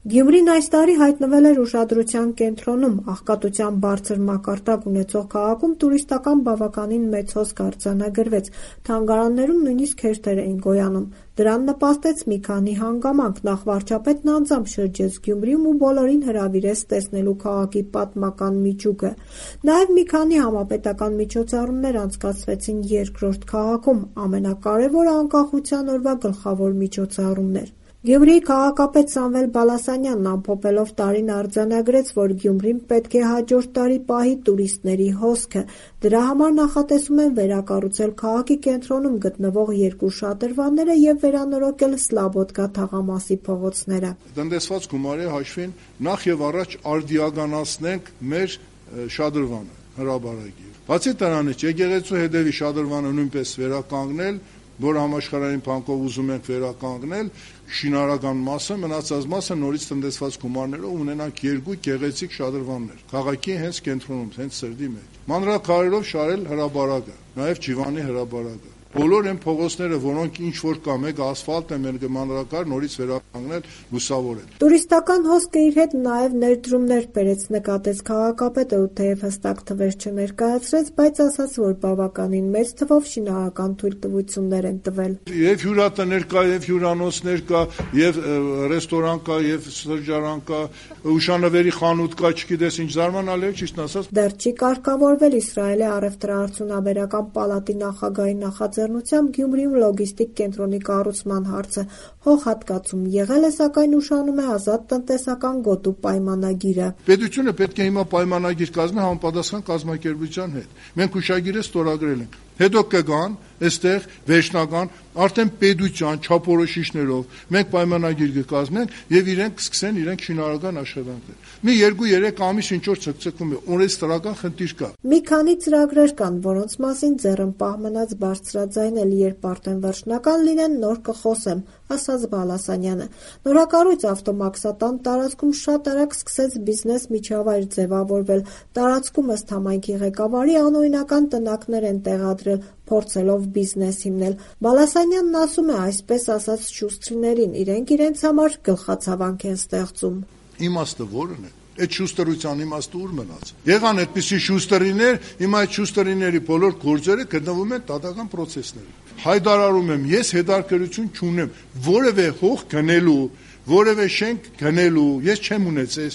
Գյումրին այս տարի հայտնվել էր ուշադրության կենտրոնում, աղքատության բարձր մակարդակ ունեցող քաղաքում տուրիստական բավականին մեծ հոսք արձանագրվեց, թանգարաններում նույնիսկ հերթեր էին գոյանում: Դրան նպաստեց մի քանի հանգամանք: Նախ վարչապետն անձամբ շրջեց Գյումրիում ու բոլորին հրավիրեց տեսնելու քաղաքի պատմական միջուկը: Նաև մի քանի համապետական միջոցառումներ անցկացվեցին երկրորդ քաղաքում, ամենակարևորը անկախության օրվա գլխավոր միջոցառումն էր: Գյումրիի քաղաքապետ Սամվել Բալասանյանն ամփոփելով տարին արձանագրեց, որ Գյումրին պետք է հաջորդ տարի պահի տուրիստների հոսքը: Դրա համար նախատեսում են վերակառուցել քաղաքի կենտրոնում գտնվող երկու շատրվանները և վերանորոգել Սլաբոդկա թաղամասի փողոցները: Տնտեսված գումարի հաշվին նախ եւ առաջ արդիականացնենք մեր շադրվանը, հրապարակի: Բացի դրանից եկեղեցու հետևի շադրվանը նույնպես վերականգնել, որ համաշխարհային փանկով ուզում ենք վերականգնել շինարարական մասը, մնացած մասը նորից տնտեսված գումարներով ունենանք երկու գեղեցիկ շադրվաններ քաղաքի հենց կենտրոնում, հենց սրտի մեջ, մանրաքարերով շարել հրապարակը, նաև Ջիվանի հրապարակը, բոլոր այն փողոցները, որոնք ինչ-որ կա, մեկը ասֆալտ է, մեկը մանրակար, նորից վերականգնել, լուսավորել: Տուրիստական հոսքը իր հետ նաև ներդրումներ բերեց, նկատեց քաղաքապետը ու թեև հստակ թվեր չներկայացրեց, բայց ասաց, որ բավականին մեծ թվով շինարարական թույլտվություններ են տվել: Եվ հյուրատներ կա, և հյուրանոցներ կա, և ռեստորան կա, և սրճարան կա, հուշանվերի խանութ կա, չգիտես ինչ, զարմանալի է, ճիշտն ասած: Դեռ չի կարգավորվել Իսրայելի առևտրաարդյունաբերական պալատի նախագահի նախաձեռնությամբ Գյումրիում լոգիստիկ կենտրոնի կառուցման հարցը: Հողհատկացում եղել է, սակայն ուշանում է ազատ տնտեսական գոտու պայմանագիրը: Պետությունը պետք է հիմա պայմանագիր կազմի համապատասխան կազմակերպության հետ: Մենք հուշագիրը ստորագրել ենք: Հետո կգան այստեղ վերջնական արդեն պետության չափորոշիչներով մենք պայմանագիր կկազմենք և իրենք կսկսեն իրենք շինարարական աշխատանքներ: Մի 2-3 ամիս ինչ-որ ցկցկվում է, օրենսդրական խնդիր կա: Մի քանի ծրագրեր կան, որոնց մասին ձեռնպահ մնաց բարձրաձայնել, երբ արդեն վերջնական լինեն, նոր կխոսեմ, ասաց Բալասանյանը: Նորակառույց ավտոմաքսատան տարածքում շատ արագ սկսեց բիզնես միջավայր ձևավորվել: Տարածքում ըստ համայնքի ղեկավարի անօրինական տնակներ են տեղադրել, փորձելով բիզնես հիմնել: Բալասանյանն ասում է, այսպես ասած շուստրիներին, իրենք իրենց համար գլխացավանք են ստեղծում: Իմաստը որն է: Այդ շուստրության իմաստը ուր մնաց: Եղան այդպիսի շուստրիներ, հիմա այդ շուստրիների բոլոր գործերը գտնվում են դատական պրոցեսներում: Հայտարարում եմ, ես հետաքրքրություն չունեմ որևէ հող գնելու, որևէ շենք գնելու, ես չեմ ունեցել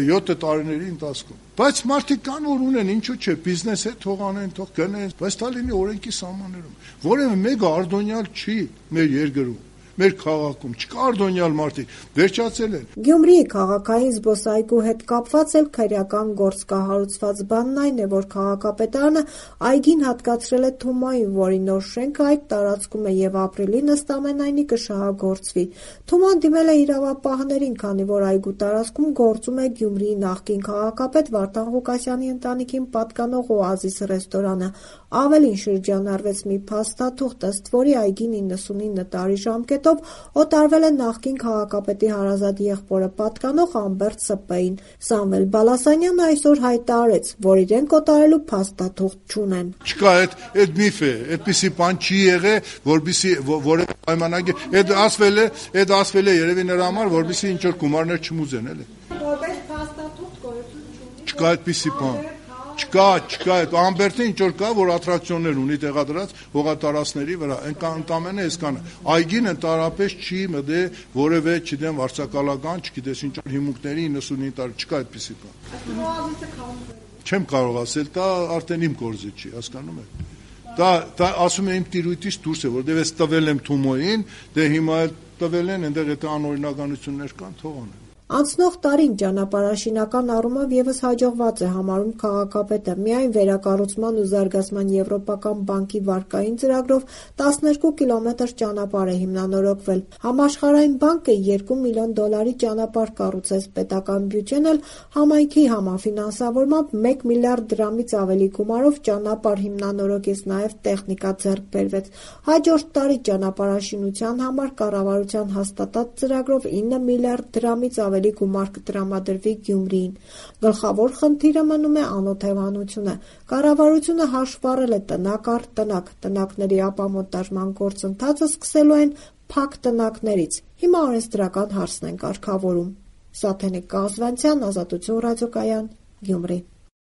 7 տարիների ընթացքում: Բայց մարդիկ կան, որ ունեն, ինչու՞ չէ, բիզնես է, թող անեն, թող գնեն, բայց դա լինի օրենքի սահմաններում: Որևէ մեկը արտոնյալ չի մեր երկրում, մեր քաղաքում, չկա արտոնյալ մարդիկ, վերջացել են: Գյումրիի քաղաքային զբոսայգու հետ կապված էլ քրեական գործ կա: Հարուցված բանն այն է, որ քաղաքապետարանը այգին հատկացրել է Թումոյին, որի նոր շենքը այդ տարածքում է և ապրիլին ըստ ամենայնի կշահագործվի: Թումոն դիմել է իրավապահներին, քանի որ այգու տարածքում գործում է Գյումրիի նախկին քաղաքապետ Վարդան Ղուկասյանի ընտանիքին պատկանող «Օազիս» ռեստորանը: Ավելին, շրջանառվեց մի փաստաթուղթ, ըստ որի այգին 99 տարի ժամկետով օտարվել է նախկին քաղաքապետի հարազատ եղբորը պատկանող Ամբերտ Սպ-ին: Սամվել Բալասանյանը այսօր հայտարարեց, որ իրենք օտարելու փաստաթուղթ չունեն: Չկա, այդ միֆ է, այդպիսի բան չի եղել, որպեսզի որևէ պայմանագիր, այդ ասվել է երևի նրա համար, որպեսզի ինչ-որ գումարներ չմուծեն, էլի: Որպես փաստաթուղթ գոյություն չունի: Չկա այդպիսի բան, չկա, Ամբերտը ինչ-որ կա, որ ատրակցիոններ ունի տեղադրած հողատարածքների վրա, ընդամենը այսքանը: Այգին ընդհանրապես չի մտել որևէ, չգիտեմ, վարձակալական, չգիտես ինչ-որ հիմունքների 99 տարի, չկա այդպիսի բան: Այսինքն «Օազիսը» քանդվել է: Չեմ կարող ասել, դա արդեն իմ գործը չի, հասկանում եք: Դա ասում եմ իմ տիրույթից դուրս է, որովհետև ես տվել եմ Թումոյին, դե հիմա էլ տվել են, այնտեղ եթե անօրինականություններ կան, թող անեն: Անցնող տարին ճանապարհաշինական առումով ևս հաջողված է համարում քաղաքապետը: Միայն վերակառուցման ու զարգացման եվրոպական բանկի վարկային ծրագրով 12 կիլոմետր ճանապարհ է հիմնանորոգվել: Համաշխարհային բանկը $2 միլիոն ճանապարհ կառուցեց, պետական բյուջեն էլ համայնքի համաֆինանսավորմամբ 1 միլիարդ դրամից ավելի գումարով ճանապարհ հիմնանորոգեց, նաև տեխնիկա ձեռք բերվեց: Հաջորդ տարի ճանապարհաշինության համար կառավարության հաստատած ծրագրով 9 միլիարդ դրամից ավելի գումար կտրամադրվի Գյումրիին: Գլխավոր խնդիրը մնում է անօթևանությունը: Կառավարությունը հաշվառել է տնակ առ տնակ: Տնակների ապամոնտաժման գործընթացը սկսելու են փակ տնակներից: Հիմա օրենսդրական հարցն են կարգավորում: Սաթենիկ Կազվանցյան, Ազատություն ռադիոկայան, Գյումրի։